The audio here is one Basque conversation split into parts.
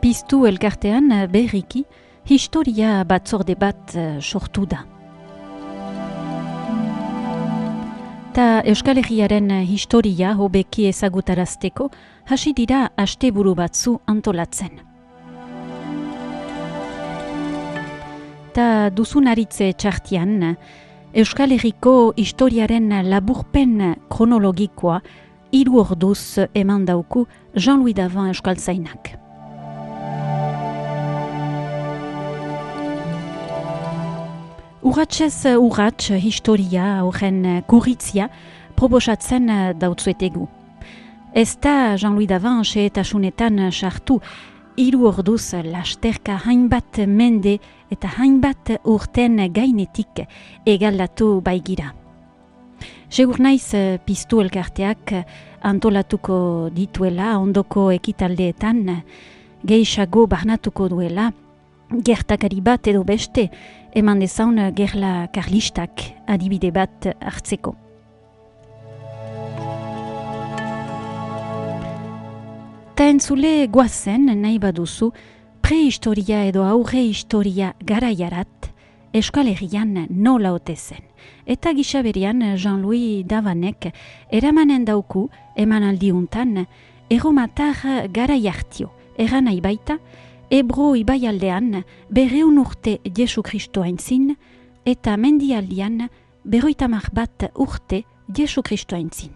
Piztu elkartean berriki historia batzorde bat sortu da. Ta Euskal Herriaren historia hobeki ezagutarazteko hasi dira asteburu batzu antolatzen. Ta duzunaritze txartian, Euskal Herriko historiaren laburpen kronologikoa 3 orduz eman dauku Jean-Louis Davant euskaltzainak. Urratsez urrats historia horren kurritzia proposatzen dautzuetegu. Ez da Jean-Louis Davant xehetasunetan sartu 3 orduz lasterka hainbat mende eta hainbat urten gainetik egaldatu baigira. Segur naiz Piztu elkarteak antolatuko dituela ondoko ekitaldeetan gehiago barnatuko duela gertakari bat edo beste eman dezaun gerla karlistak adibide bat hartzeko. Ta entzule goazen nahi baduzu prehistoria edo aurre historia garaiarat Euskal Herrian nola ote zen. Eta gisa berean Jean-Louis Davanek eramanen dauku emanaldiuntan erromatar garaiartio eran nahi baita Ebro ibaialdean 200 urte Jesu Kristo aintzin eta mendialdian 51 urte Jesu Kristo aintzin.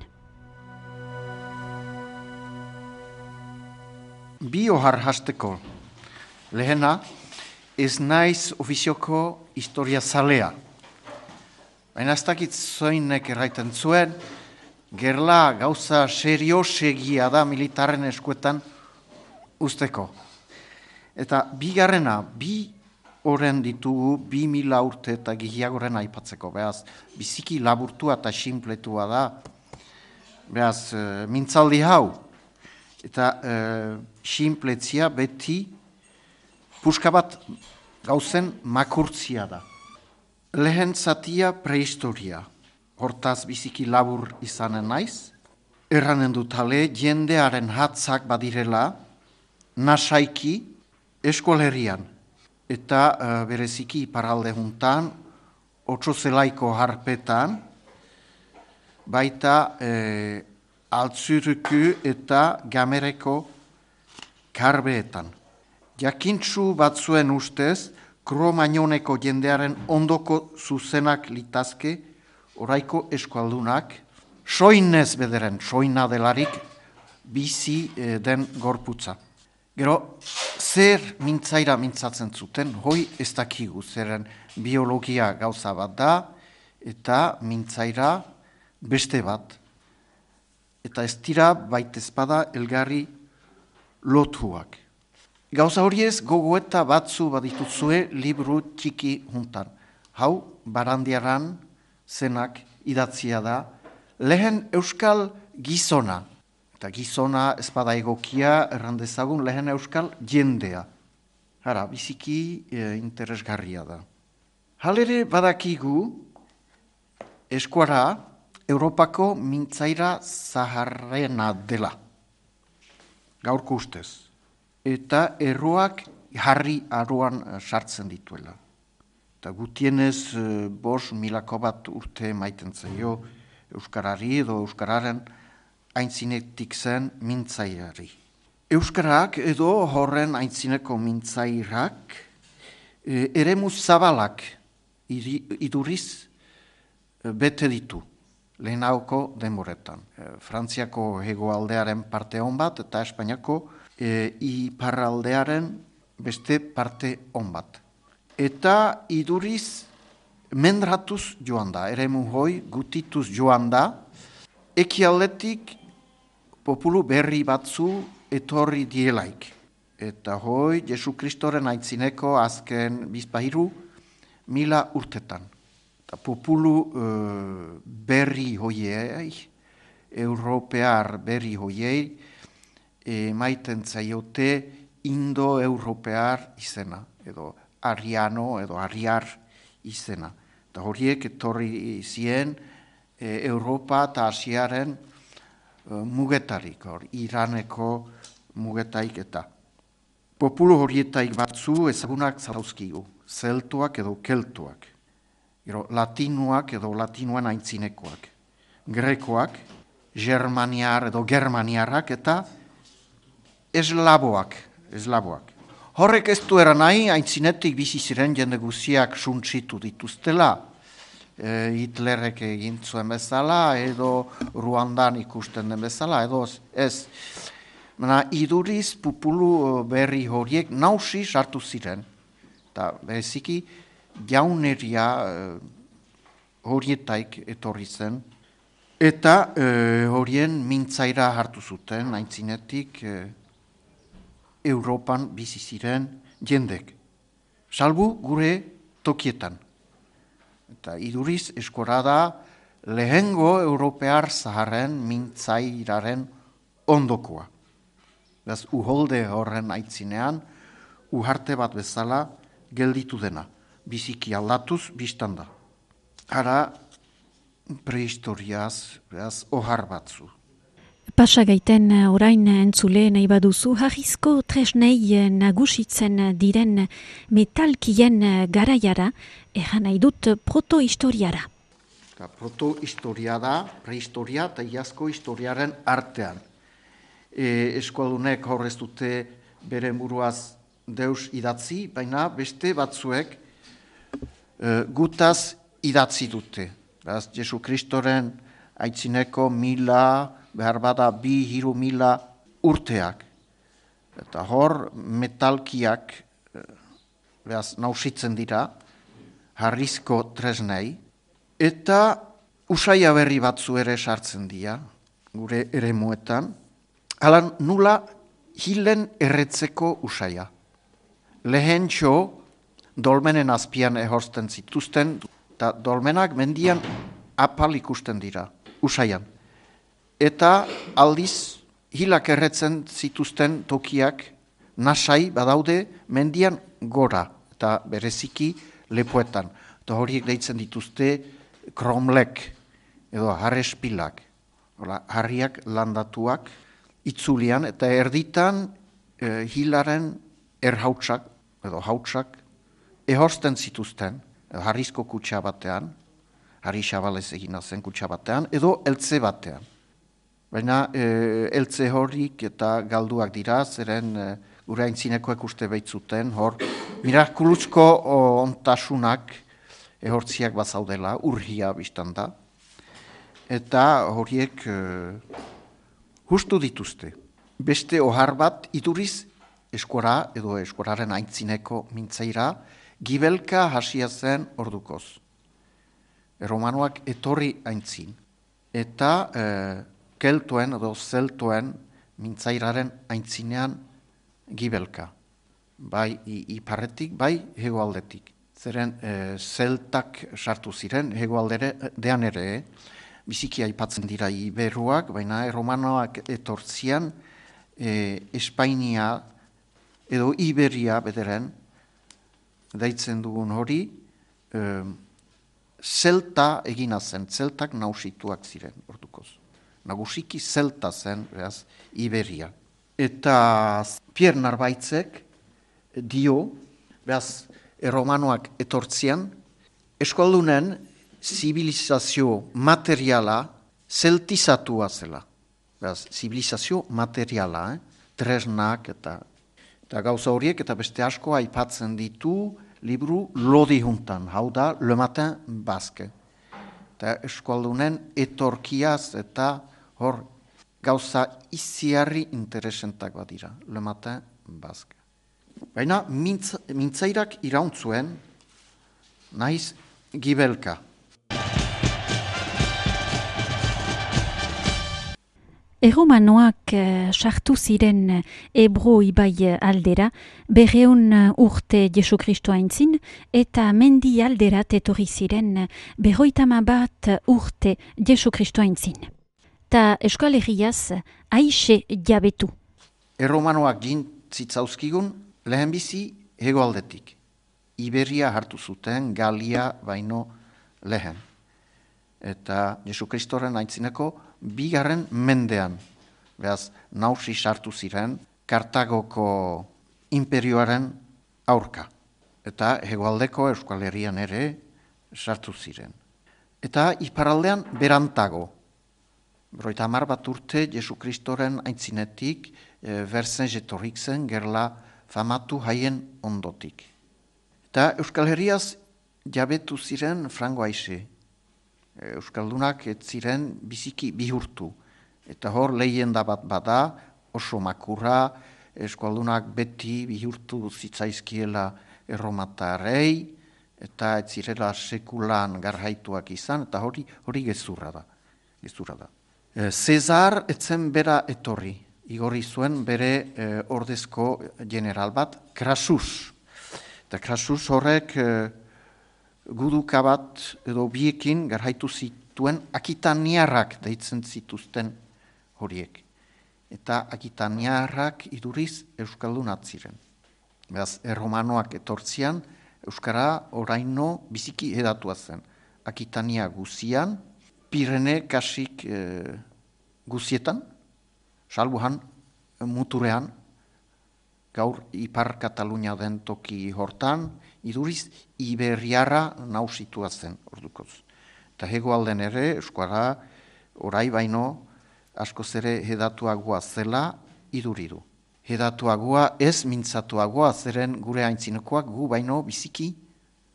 Bi ohar hasteko. Lehena, ez naiz ofizioko historia zalea. Baina ez dakit zoinek erraiten zuen, gerla gauza seriosegia da militaren eskuetan usteko. Eta bigarrena, bi horren ditugu 2000 urte eta gehiagoren aipatzeko. Beraz, biziki laburtua eta sinpletua da. Beraz, mintzaldi hau. Eta sinpletzia beti puska bat gauzen makurtzia da. Lehen zatia prehistoria. Hortaz biziki labur izanen naiz. Erranen dutale, jendearen hatzak badirela, nasaiki, Euskal Herrian, eta bereziki iparralde juntan, Otsozelaiko harpetan, baita Altzuruku eta Gamereko karbeetan. Jakintsu batzuen ustez, Kromagnoneko jendearen ondoko zuzenak litazke, oraiko eskualdunak, soinez bederen, soina delarik, bizi den gorputza. Gero, zer mintzaira mintzatzen zuten, hoi ez dakigu, zeren biologia gauza bat da, eta mintzaira beste bat. Eta ez dira baitezpada elgarri lotuak. Gauza horiez gogoeta batzu badituzue liburu txiki juntan. Hau, Barandiaran zenak idatzia da, lehen euskal gizona. Eta gizona ezpada egokia errandezagun lehen euskal jendea. Hara, biziki interesgarria da. Halere badakigu eskuara Europako mintzaira zaharrena dela. Gaurko ustez. Eta erroak harri aroan sartzen dituela. Eta gutienez 5.000 urte maiten zaio euskarari edo euskararen aintzinetik zen mintzaiari. Euskarak edo horren aintzineko mintzairak eremu zabalak iduriz bete ditu lehenauko denboretan. Frantziako hegoaldearen parte on bat eta Espainiako iparraldearen beste parte on bat. Eta iduriz mendratuz joan da, eremu hoi gutituz joan da, ekialdetik populu berri batzu etorri dielaik. Eta hoi, Jesu Kristoren aitzineko azken 2000 urtetan. Eta populu berri hoiei, europear berri hoiei, maiten zaiote indo-europear izena, edo ariano, edo ariar izena. Eta horiek etorri zien Europa eta Asiaren mugetarik, Iraneko mugetaik eta. Populu horietaik batzu ezagunak zauzkigu, zeltoak edo keltuak, latinoak edo latinoan aintzinekoak, grekoak, germaniar edo germaniarrak eta eslaboak. Horrek ez du eran nahi, aintzinetik bizi ziren jende guziak suntsitu dituztela, Hitlerrek egin zuen bezala, edo Ruandan ikusten den bezala, edo ez. Baina iduriz populu berri horiek nausi sartu ziren, eta bereziki jauneria horietaik etorri zen, eta horien mintzaira hartu zuten, aintzinetik Europan bizi ziren jendek, salbu gure tokietan. Eta iduriz eskora da lehengo europear zaharren mintzairaren ondokoa. Beraz, uholde horren aitzinean, uharte bat bezala gelditu dena. Biziki aldatuz biztanda. Hara prehistoriaz, beraz, ohar batzu. Pasa gaiten orain entzule nahi baduzu, harrizko tresnei nagusitzen diren metalkien garaiara, egan nahi dut protohistoriara. Protohistoria da, prehistoria eta iazko historiaren artean. Eskualdunek horrez dute bere buruaz deus idatzi, baina beste batzuek gutaz idatzi dute. Beraz, Jesu Kristoren aitzineko 1000, behar bada 2-3 urteak. Eta hor metalkiak nausitzen dira, harrizko tresnei, eta usaia berri batzu ere sartzen dira, gure eremuetan, hala nula hilen erretzeko usaia. Lehen txo, dolmenen azpian ehorsten zituzten, eta dolmenak mendian apal ikusten dira, usaian. Eta aldiz hilak erretzen zituzten tokiak nasai badaude mendian gora, eta bereziki lepoetan. Eta horiek deitzen dituzte kromlek edo harrespilak, harriak landatuak itzulian, eta erditan hilaren erhautsak edo hautsak ehorsten zituzten, harrizko kutsa batean, harri xabalez egina zen kutsa batean, edo eltze batean. Baina eltze horik eta galduak dira, zeren gure aintzinekoek uste behitzuten, hor mirakuluzko ontasunak ehortziak bazaudela, urgia biztan da, eta horiek justu dituzte. Beste ohar bat iduriz eskora edo eskoraren aintzineko mintzaira, gibelka hasia zen ordukoz. Romanoak etorri aintzin, eta keltoen edo zeltoen mintzairaren aintzinean gibelka. Bai iparretik, bai hegoaldetik. Zeren zeltak sartu ziren, hegoaldean ere, biziki aipatzen dira iberuak, baina romanoak etortzian Espainia edo Iberia bederen, deitzen dugun hori, zelta egina zen, zeltak nausituak ziren ordukoz. Nagusiki zelta zen, beraz, Iberia. Eta Pierre Narbaitzek dio, beraz, erromanoak etortzian, eskualdunen zibilizazio materiala zeltizatua zela. Beraz, zibilizazio materiala, tresnak eta gauza horiek, eta beste asko aipatzen ditu libru lodi juntan, hau da, Le Matin Basque. Eta eskualdunen etorkiaz eta hor gauza iziarri interesentak badira, Le Matin Basque. Baina mintzairak irauntzuen, naiz gibelka. Erromanoak sartu ziren Ebro ibai aldera, 200 urte Jesu Kristo aintzin, eta mendi alderat etorri ziren 51 urte Jesu Kristo aintzin. Ta Euskal Herriaz aixe jabetu. Erromanoak jintzitzauzkigun lehenbizi hegoaldetik. Iberia hartu zuten, Galia baino lehen. Eta Jesu Kristoren aintzineko 2. mendean, beraz, nausi sartu ziren, Kartagoko imperioaren aurka. Eta hegoaldeko Euskal Herrian ere sartu ziren. Eta iparaldean berantago. 50 bat urte Jesu Kristoren aitzinetik berzen jetorrik zen gerla famatu haien ondotik. Eta Euskal Herriaz jabetu ziren frango aixe. Euskaldunak ez ziren biziki bihurtu. Eta hor lehenda bat bada, oso makurra, Euskaldunak beti bihurtu zitzaizkiela erromatarrei, eta ez zirela sekulan garhaituak izan, eta hori gezurra da. Cesar etzen bera etorri, igorri zuen bere ordezko general bat, Crassus. Eta Crassus horrek guduka bat edo biekin garhaitu zituen akitaniarrak deitzen zituzten horiek. Eta akitaniarrak iduriz euskaldunat ziren. Beraz, erromanoak etortzian, euskara oraino biziki edatua zen. Akitania guzian, Pirene kasik guzietan, salbuhan muturean, gaur Ipar Katalunia den toki hortan, iduriz Iberiarra nausitua zen ordukoz. Eta hegoalden ere, euskara orai baino askoz ere hedatuagoa zela iduridu. Hedatuagoa ez mintzatuagoa zeren gure aintzinekoak gu baino biziki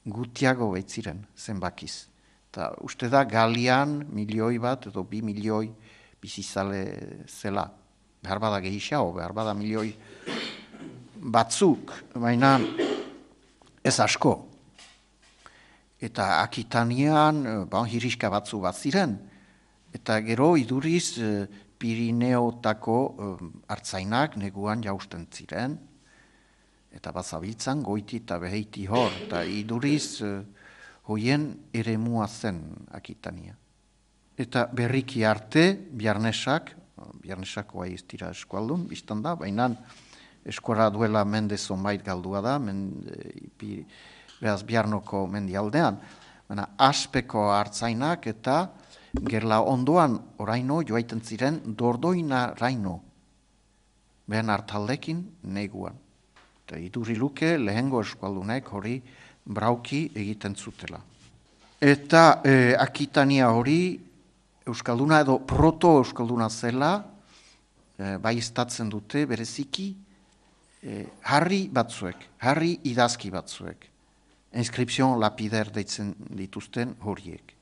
gutiago baitziren zenbakiz. Eta uste da Galian 1.000.000 bat edo 2 milioi bizizale zela. Behar bada gehiago, behar bada 1.000.000 batzuk, baina ez asko. Eta Akitanian hiriska batzu bat ziren. Eta gero iduriz Pirineotako hartzainak neguan jausten ziren. Eta bazabiltzan goiti eta beheiti hor. Eta iduriz hoien eremua zen Akitania. Eta berriki arte, Biarnesako ez dira eskualdun, biztan da, baina eskora duela mende zonbait galdua da, beraz Biarnoko mendialdean. Baina aspeko hartzainak eta gerla ondoan oraino joaiten ziren Dordoina raino, behen hartaldekin neguan. Eta iduri luke lehengo eskualdunek hori brauki egiten zutela. Eta Akitania hori euskalduna edo proto-euskalduna zela, bai estatzen dute bereziki, harri idazki batzuek. Inskripzion lapider deitzen dituzten horiek.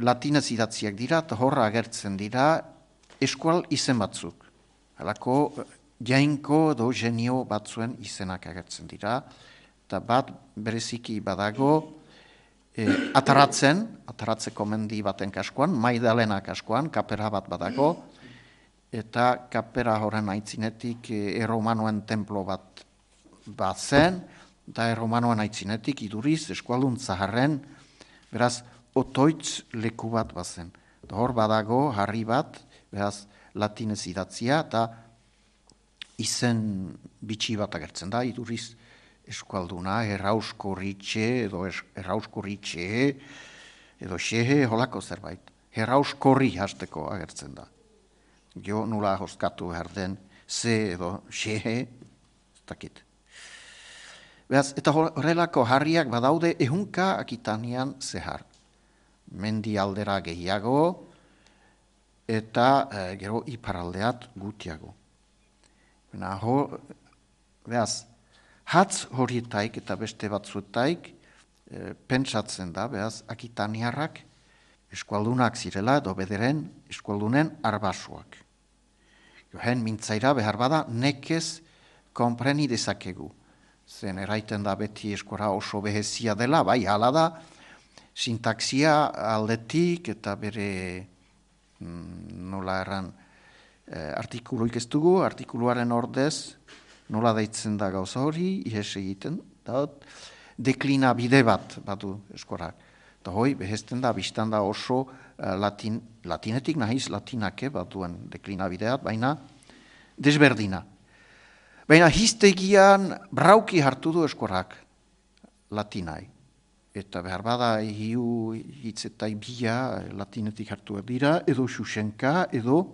Latinez idatziak dira, eta horra agertzen dira eskual izen batzuk. Halako jainko edo genio batzuen izenak agertzen dira, eta bat bereziki badago ataratzeko mendi baten kaskoan, Maidalena kaskoan, kapera bat badago, eta kapera horren aitzinetik erromanoen templo bat zen, eta erromanoen aitzinetik iduriz eskualdun zaharren, beraz, otoitz leku bat bazen. Hor badago harri bat, beraz, latinez idatzia, eta izen bitxi bat agertzen da, iduriz eskualduna, errauskorritxe edo xehe holako zerbait. Errauskorri hasteko agertzen da. Jo nula hoskatu behar den ze edo xehe, ez dakit. Beraz, eta horrelako harriak badaude ehunka Akitanian zehar. Mendi aldera gehiago eta gero iparaldeat gutiago. Beraz, hatz horietaik eta beste batzuetaik pentsatzen da, beraz, Akitaniarrak eskualdunak zirela edo bederen eskualdunen arbasuak. Johen mintzaira behar bada nekez konpreni dezakegu. Zen eraiten da beti eskora oso behezia dela, bai hala da, sintaksia aldetik eta bere nola erran artikuluik ez dugu, artikuluaren ordez nola deitzen da gauza hori, ihes egiten, deklina bide bat badu eskorak. Eta hoi, behezten da, biztan da oso latinetik nahiz latinake batuen deklina bideat, baina desberdina. Baina hiztegian brauki hartu du eskorak latinai. Eta behar bada hiu hitzetai bila latinetik hartu dira, edo xuxenka, edo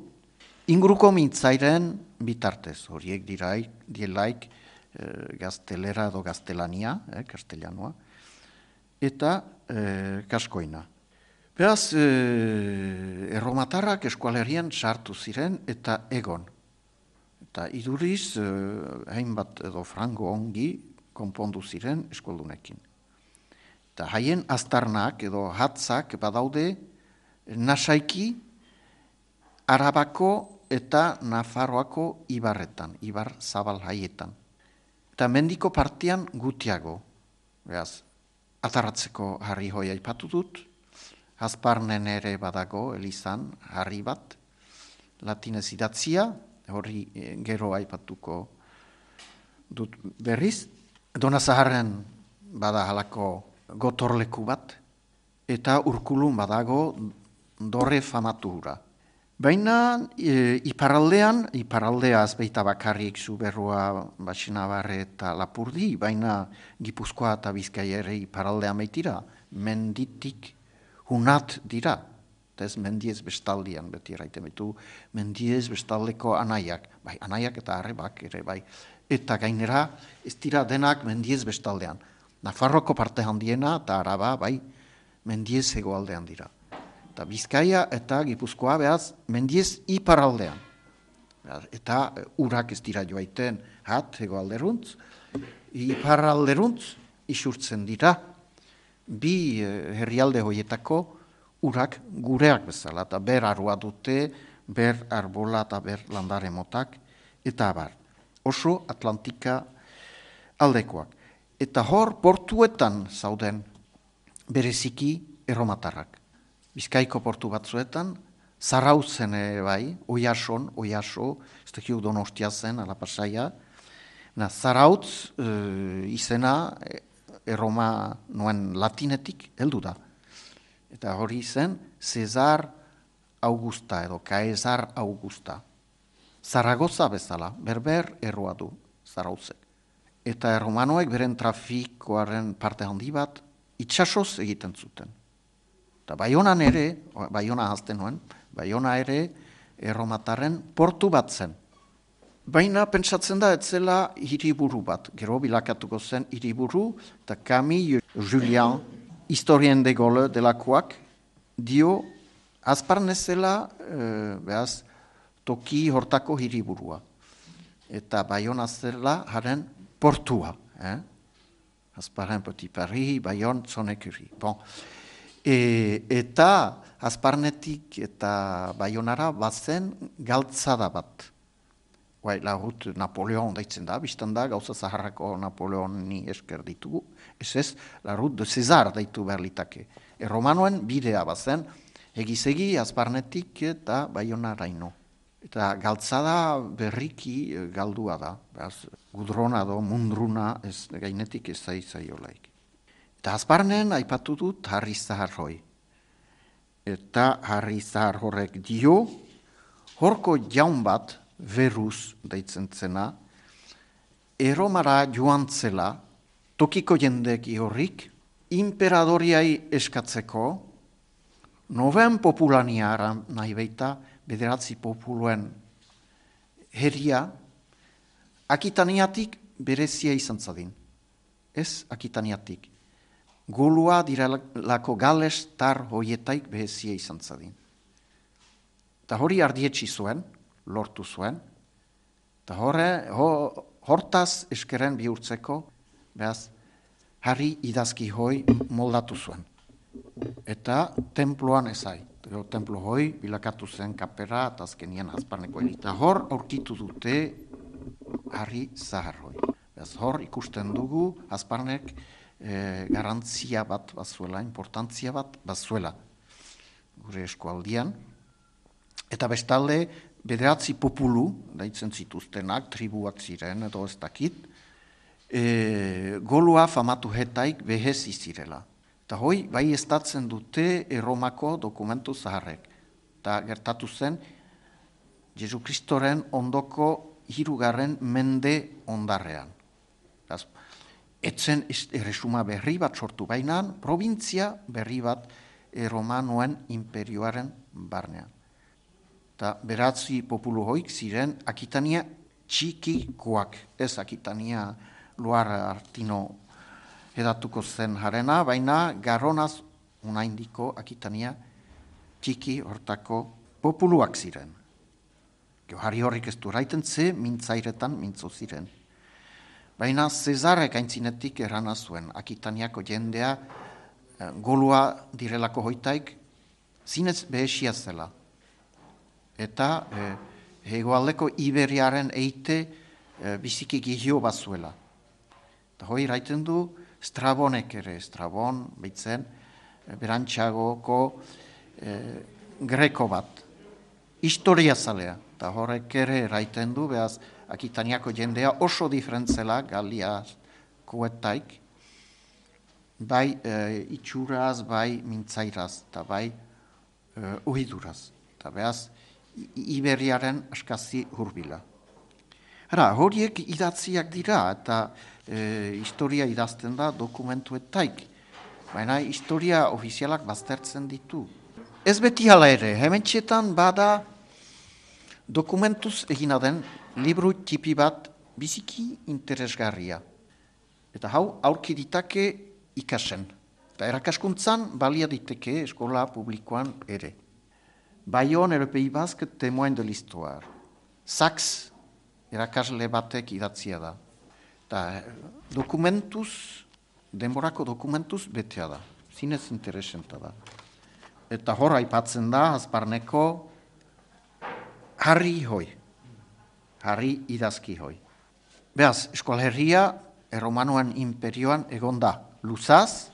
inguruko mintzairen bitartez. Horiek dielaik gaztelera edo gaztelania, castellanoa, eta kaskoina. Beraz, erromatarrak eskualerian sartu ziren eta egon. Eta iduriz, hainbat edo frango ongi konpondu ziren eskualdunekin. Eta haien aztarnak edo hatzak badaude nasaiki Arabako eta Nafarroako ibarretan, ibar zabal haietan. Eta mendiko partian gutiago, beraz, atarratzeko harri hoi aipatu dut, Azparnen ere badago elizan harri bat, latinez idatzia, hori gero aipatuko dut berriz, Donazaharren bada halako gotorleku bat, eta Urkulun badago dorre famatu hura. Baina iparaldea azbeita bakarrik Zuberroa, Baxinabarre eta Lapurdi, baina Gipuzkoa eta Bizkaia ere iparaldea maitira, menditik hunat dira. Eta ez mendiez bestaldian, beti eraiten betu, mendiez bestaldeko anaiak, bai, anaiak eta arrebak ere, bai. Eta gainera ez dira denak mendiez bestaldean. Nafarroko parte handiena eta Araba, bai, mendiez hegoaldean dira. Eta Bizkaia eta Gipuzkoa behaz mendiez iparaldean. Eta urak ez dira joaiten hegoalderuntz, iparalderuntz isurtzen dira bi herrialde hoietako urak gureak bezala. Eta ber arua dute, ber arbola eta ber landare motak, eta abar. Oso Atlantika aldekoak. Eta hor portuetan zauden bereziki erromatarrak. Bizkaiko portu batzuetan, Zarautzen bai, Oiaso, ez dakik Donostia zen, ala Pasaia. Zarautz izena erroma noen latinetik heldu da. Eta hori zen Cesar Augusta edo Caesar Augusta. Zaragoza bezala, berber erroa du Zarautzek. Eta erromanoek beren trafikoaren parte handi bat itsasoz egiten zuten. Eta Baionan ere, Baiona hazten nuen, Baiona ere erromatarren portu bat zen. Baina pentsatzen da etzela hiriburu bat, gero bilakatuko zen hiriburu, eta Camille Julien, historien de Gaulle delakoak, dio azparnezela behaz, toki hortako hiriburua. Eta Baiona zela haren portua. Azparren Petit Paris, Baion, Zonekuri. Bon. Eta Azparnetik eta Baionara bazen galtzada bat. La route Napoleon daitzen da, biztan da, gauza zaharrako Napoleoni esker ditugu. Ez, la route de César daitu behar litake. Erromanoen bidea bazen, egizegi Azparnetik eta Baionaraino. Eta galtzada berriki galdua da. Gudrona do, mundruna, ez, gainetik ez zaizaiolaik. Eta Azparnen aipatu dut Harri Zahar hoi. Eta Harri Zahar horrek dio, horko jaun bat, Verus deitzen zena, erromara joan zela, tokiko jendeki horrik, imperadoriai eskatzeko, noven populaniara nahi baita, bederatzi populuen herria, Akitaniatik berezia izan zadin. Ez Akitaniatik. Golua direlako Gales tar hoietaik berezia izan zadin. Eta hori ardietsi zuen, lortu zuen, eta hortaz eskeren bihurtzeko, behaz, Harri idazki hoi moldatu zuen. Eta temploan ezai. Templo hoi bilakatu zen kapera eta azkenien Azparneko elita. Hor aurkitu dute Harri Zahar hoi. Hor ikusten dugu Azparnek garantzia bat bazuela, importantzia bat bazuela gure eskualdian. Eta bestalde bederatzi populu, daitzen zituztenak, tribuak ziren edo ez dakit, golua famatu hetaik behez izirela. Eta hoi, bai estatzen dute Erromako dokumentu zaharrek. Eta gertatu zen, Jesu Kristoren ondoko 3. mende ondarrean. Etzen erresuma berri bat sortu bainan, provintzia berri bat Erromanoen imperioaren barnean. Eta beratzi populu hoik ziren Akitania txikikoak, ez Akitania Luar Artino edatuko zen jarena, baina Garonaz unaindiko Akitania txiki hortako populuak ziren. Johari horrik ez du raiten ze mintzairetan mintzo ziren. Baina Zezarek aintzinetik errana zuen, Akitaniako jendea golua direlako hoitaik zinez behesia zela. Eta hegoaldeko Iberiaren eite biziki gihio bazuela. Eta hoi raiten du Strabonek ere, Strabon behitzen berantxagoko greko bat, historia zalea. Eta horrek ere raiten du, behaz Akitaniako jendea oso diferentzela Galiakoetaik, bai itxuraz, bai mintzairaz, eta bai uhiduraz. Eta behaz, Iberiaren askazi hurbila. Horiek idatziak dira, eta historia idazten da dokumentuetaik, baina historia ofizialak baztertzen ditu. Ez beti hala ere, hementxetan bada dokumentuz egina den libru tipi bat biziki interesgarria. Eta hau aurki ditake ikasen. Eta erakaskuntzan balia diteke eskola publikoan ere. Bayon et le Pays Basque, témoin de l'histoire. Saks erakasle batek idatzia da. Eta dokumentuz, denborako dokumentuz betea da. Zinez interesenta da. Eta hor aipatzen da, azparneko Harri hoi. Harri idazki hoi. Beaz, eskoalherria Erromanuen imperioan egonda luzaz,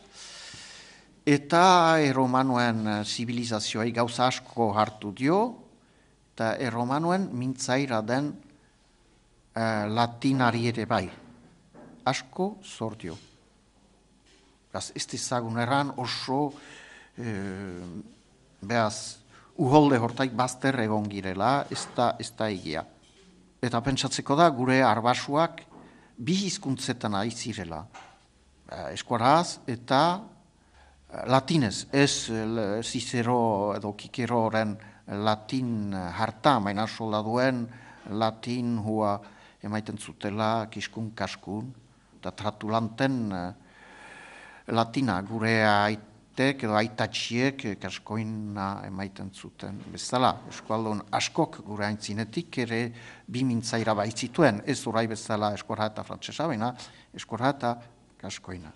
eta Erromanuen zibilizazioai gauza asko hartu dio, eta Erromanuen mintzaira den latinari ere bai. Asko zor dio. Beaz, ez ezagun erran oso beaz, uholde hortaik bazter egon girela, ez da egia. Eta pentsatzeko da, gure arbasuak bi hizkuntzetan ari zirela. Eskuaraz eta latinez, ez Cicero edo Kikeroren latin harta, baina soldaduen latin hua emaiten zutela kiskun kaskun, eta tratulanten latina gure aitek edo aitatxiek kaskoina emaiten zuten. Bezala, eskualdun askok gure aintzinetik ere bi mintzaira baitzituen, ez orai bezala eskuara eta frantsesa, baina eskuara eta kaskoina.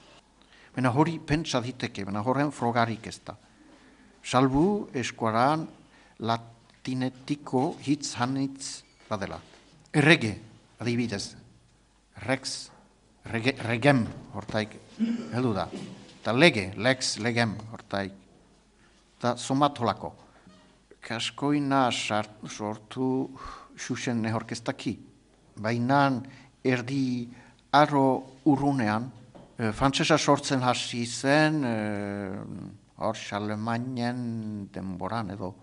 Baina hori pentsa diteke, baina horren frogarik ez da. Salbu eskuaran latinetiko hitz hanitz badela. Errege, adibidez, rex, regem hortaik heldu da. Eta lege, lex, legem hortaik. Eta somatolako. Kaskoina sortu xuxen nehorkeztaki. Baina erdi arro urrunean, frantsesa sortzen hasi zen, hor Charlemagnen denboran edo,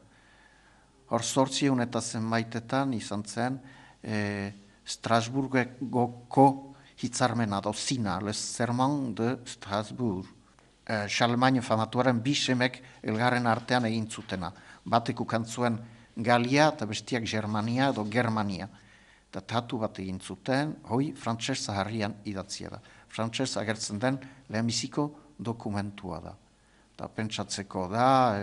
hor 800 eta zenbaitetan izan zen Strasburgoko hitzarmena do zina, le Serment de Strasbourg. Charlemagne famatuaren bi semek elgarren artean egin zutena. Batek ukantzuen Galia eta bestiak Germania edo Germania. Eta tatu bat egin zuten, hoi frantses zaharrian idatzia da. Frantses agertzen den lehenbiziko dokumentua da. Eta pentsatzeko da,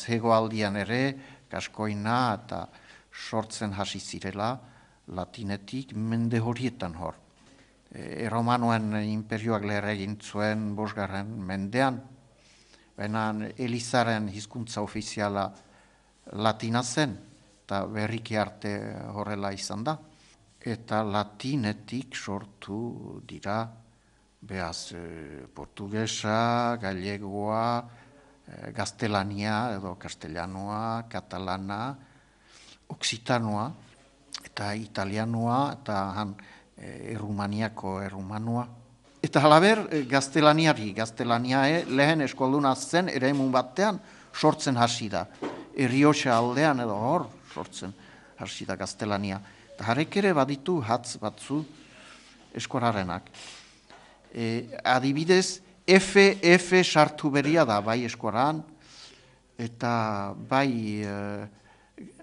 hegoaldian ere, kaskoina eta sortzen hasi zirela latinetik mende horietan hor. Erromanuen imperioak leher egin zuen 5. mendean, baina Elizaren hizkuntza ofiziala latina zen, eta berriki arte horrela izan da. Eta latinetik sortu dira, behaz, portugesa, gallegoa, gaztelania edo castellanoa, katalana, oksitanoa, eta italianoa, eta errumaniako errumanua. Eta halaber, gaztelania lehen eskualduna zen ere emun batean sortzen hasi da. Errioxa aldean edo hor sortzen hasi da gaztelania. Eta harek ere baditu hatz batzu eskuararenak. Adibidez, F sartu beria da bai eskuaran, eta bai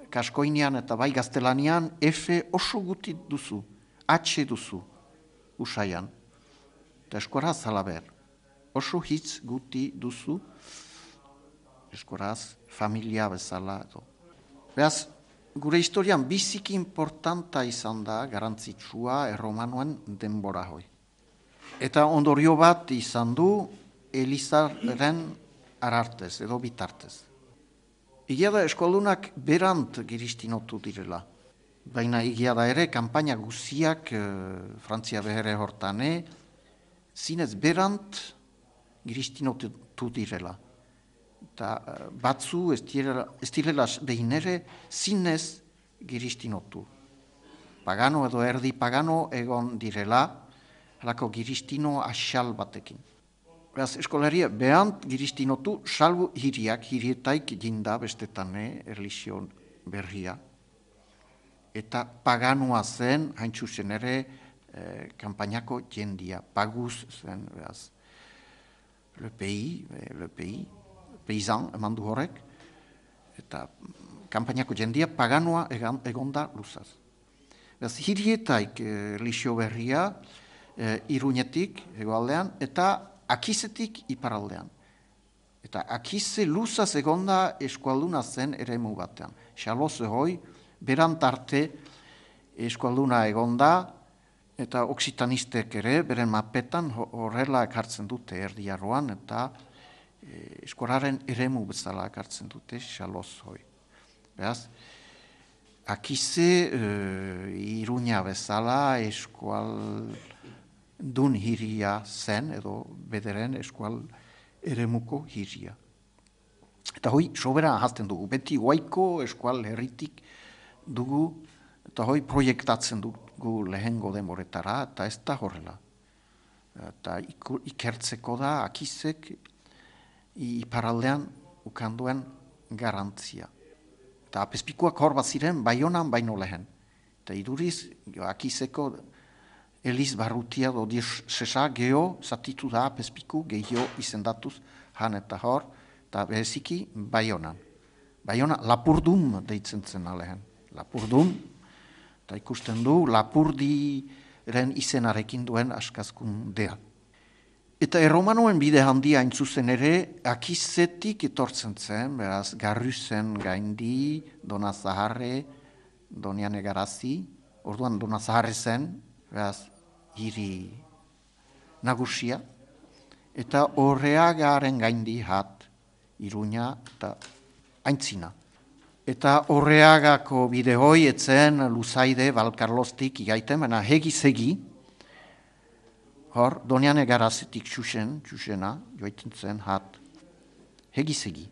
kaskoinean eta bai gaztelanian F oso guti duzu, H duzu, usaian. Eta eskoraz halaber, oso hitz guti duzu, eskoraz familia bezala edo. Beraz, gure historian biziki importanta izan da, garantzitsua erromanuen denbora hoi. Eta ondorio bat izan du Elizaren arartez edo bitartez. Egia da eskoldunak berant giristinotu direla. Baina egia da ere, kanpaina guziak Frantzia behere hortane, zinez berant giristinotu direla. Eta batzu ez direla behin ere zinez giristinotu. Pagano edo erdi pagano egon direla, halako giristino asal batekin. Beraz, eskolaria behant giristinotu salbu hirietaik jinda bestetane erlizio berria. Eta paganoa zen, haintzu zen ere, kanpainako jendia. Paguz zen, beraz, le pays, peisan eman du horrek, eta kanpainako jendia paganoa egonda luzaz. Beraz, hirietaik erlizio berria, Iruñetik hegoaldean, eta Akizetik iparaldean. Eta Akize luzaz egonda eskualduna zen eremu batean. Xaloze hoi, berantarte eskualduna egonda, eta oksitanistek ere, beren mapetan horrela ekartzen dute erdiarroan, eta eskolaren eremu bezala ekartzen dute xaloz hoi. Beraz, Akize Iruña bezala eskualdun hiria zen, edo bederen eskual eremuko hiria. Eta hoi, sobera ahazten dugu. Beti guaiko eskual herritik dugu, eta hoi proiektatzen dugu lehengo denboretara, eta ez da horrela. Eta ikertzeko da, Akizek iparaldean ukanduen garantzia. Eta apezpikuak hor bat ziren, Baionan baino lehen. Eta iduriz, Akizeko Eliz Barrutia do diosesa geho zatitu da apezpiku gehio izendatuz han eta hor, eta bereziki Baionan. Baiona Lapurdum deitzen zen alehen. Lapurdum, eta ikusten du Lapurdiren izenarekin duen askazkundea. Eta erromanoen bide handia intzuzen ere, Akizetik etortzen zen, beraz, Garruzen gaindi, Dona Zaharre, Doniane Garazi, orduan Dona Zaharre zen, beraz, hiri nagusia, eta Horreagaren gaindi hat, Iruña eta Aintzina. Eta Horreagako bide hoi etzen Luzaide, Balkarlostik igaiten, baina hegi-segi, hor, Doniane Garazetik txusena, joaiten zen hat, hegi-segi.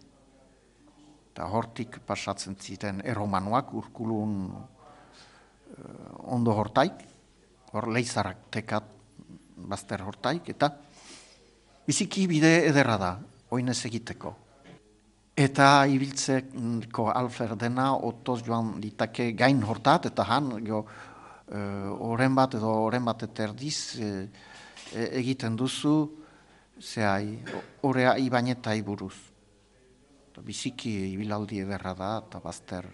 Eta hortik pasatzen ziren erromanoak, Urkulun ondo hortaik, hor leizarak tekat bazter hortaik, eta biziki bide ederra da, oinez egiteko. Eta ibiltzeko alferdena otoz joan ditake gain hortat, eta han oren bat edo oren bat eterdiz egiten duzu, zehai, orea ibanetai buruz. Biziki ibilaldi ederra da, eta bazter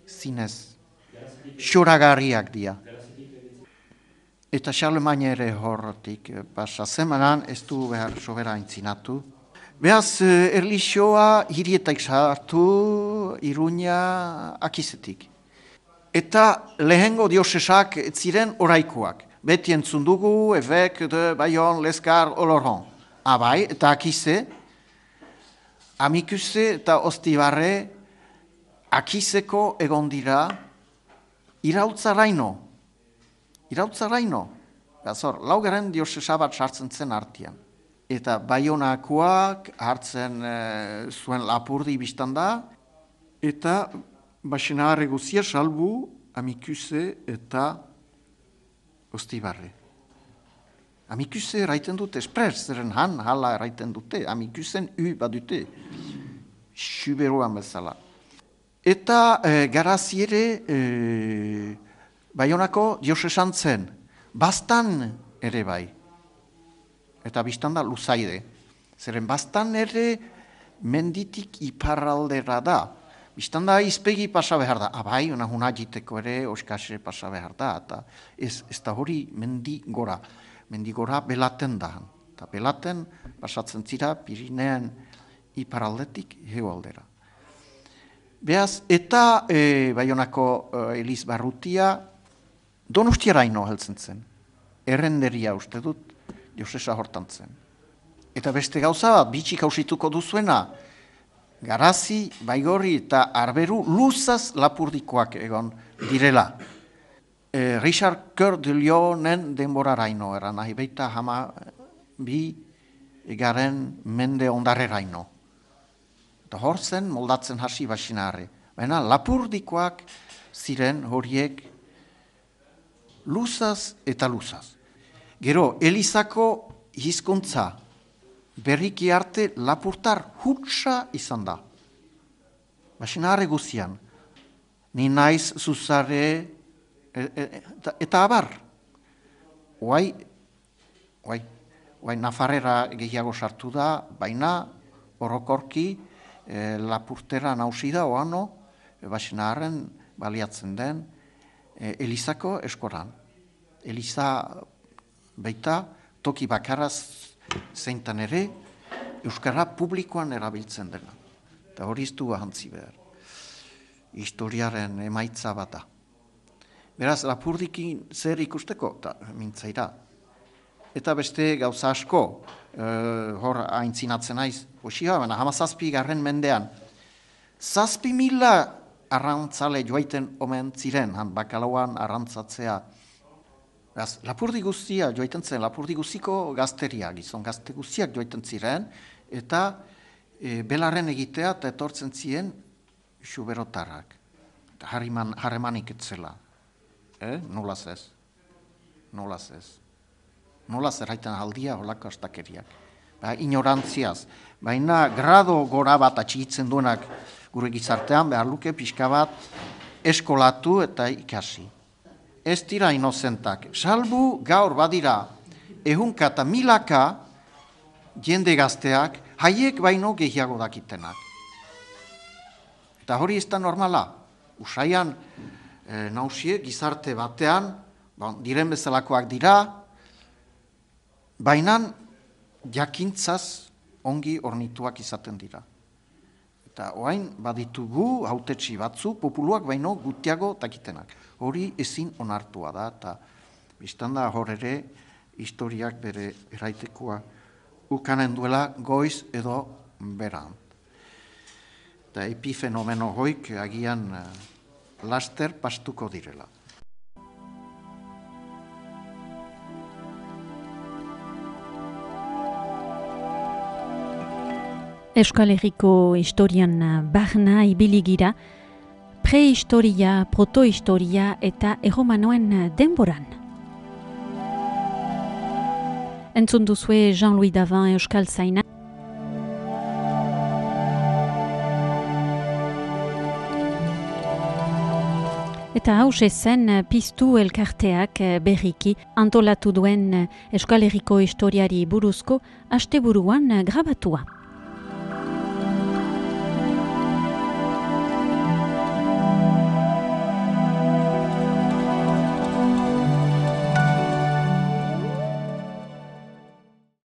zinez xoragarriak dia. Eta Charlemagne ere horretik pasa zemanan, ez du behar sobera aintzinatu. Beaz, erlixoa hirietak sartu, Iruña Akizetik. Eta lehengo diosesak ziren oraikoak. Beti entzun dugu, Évêque de Bayonne, Lescar, Oloron. Abai, eta Akize, Amikuse eta Ostibarre, Akizeko egon dira, Irautzaraino. Bazor, laugaren diosesa bat sartzen zen artian. Eta Baionakoak hartzen zuen Lapurdi biztan da, eta Baxenarre guzia salbu Amikuse eta Ostibarre. Amikuse eraiten dute, espres, zeren han hala eraiten dute, Amikusen badute, Xuberoan bezala. Eta Garaziere Baionako diosesan zen, bastan ere bai, eta biztan da Luzaide. Zeren bastan ere menditik iparraldera da, Bistan da izpegi pasa behar da, abai, una hunagiteko ere oskase pasa behar da, eta ez da hori mendigora belaten da. Eta belaten pasatzen zira Pirineen iparaldetik hegoaldera. Beaz, eta Baionako Eliz Barrutia Donostiaraino heltzen zen. Errenderia uste dut, Josesa hortan zen. Eta beste gauza bat, bitxik hausituko duzuena, Garazi, Baigorri eta Arberu luzaz lapurdikoak egon direla. Richard Coeur de Lionen denboraraino eran, nahi baita bi garen mende ondarreraino. Eta hor zen moldatzen hasi basinarre. Baina lapurdikoak ziren horiek luzaz eta luzaz. Gero, Elizako hizkuntza berriki arte lapurtar hutsa izan da. Basinarre guzian. Ni naiz zuzare eta abar. Oai Nafarrera gehiago sartu da, baina orokorki lapurtera nausi da oano, basinarren baliatzen den Elizako eskoran. Eliza baita toki bakaraz zeintan ere euskara publikoan erabiltzen dena. Eta hori iztu ahantzi behar. Historiaren emaitza bat da. Beraz, lapurdikin zer ikusteko? Eta mintzaira. Eta beste gauza asko, hor aintzinatzen naiz, hoxia, baina 17. mendean, 7.000 arrantzale joaiten omen ziren, bakalauan arrantzatzea. Lapurdi guztia joaiten zen, lapurdi guztiko gazteria, gizon gazte guztiak joaiten ziren, eta belarren egitea eta etortzen ziren xuberotarrak. Harremanik etzela. Nolaz ez. Nolaz erraiten aldia holako astakeriak. Ignorantziaz. Baina grado gora bat atxigitzen duenak gure gizartean, behar luke pixka bat eskolatu eta ikasi. Ez dira inozentak. Salbu gaur badira ehunka eta milaka jende gazteak haiek baino gehiago dakitenak. Eta hori ez da normala. Usaian nausie gizarte batean, diren bezalakoak dira, baina jakintzaz ongi ornituak izaten dira. Eta oain baditugu hautetsi batzu populuak baino gutiago dakitenak. Hori ezin onartua da, eta biztan da hor ere historiak bere eraitekoa ukanen duela goiz edo beran. Eta epifenomeno hoik agian laster pastuko direla. Euskal Herriko historian barna ibili-gira, prehistoria, protohistoria eta erromanoen denboran. Entzun duzue Jean-Louis Davin Euskal Zaina. Eta hause zen piztu elkarteak berriki antolatu duen Euskal Herriko historiari buruzko asteburuan grabatua.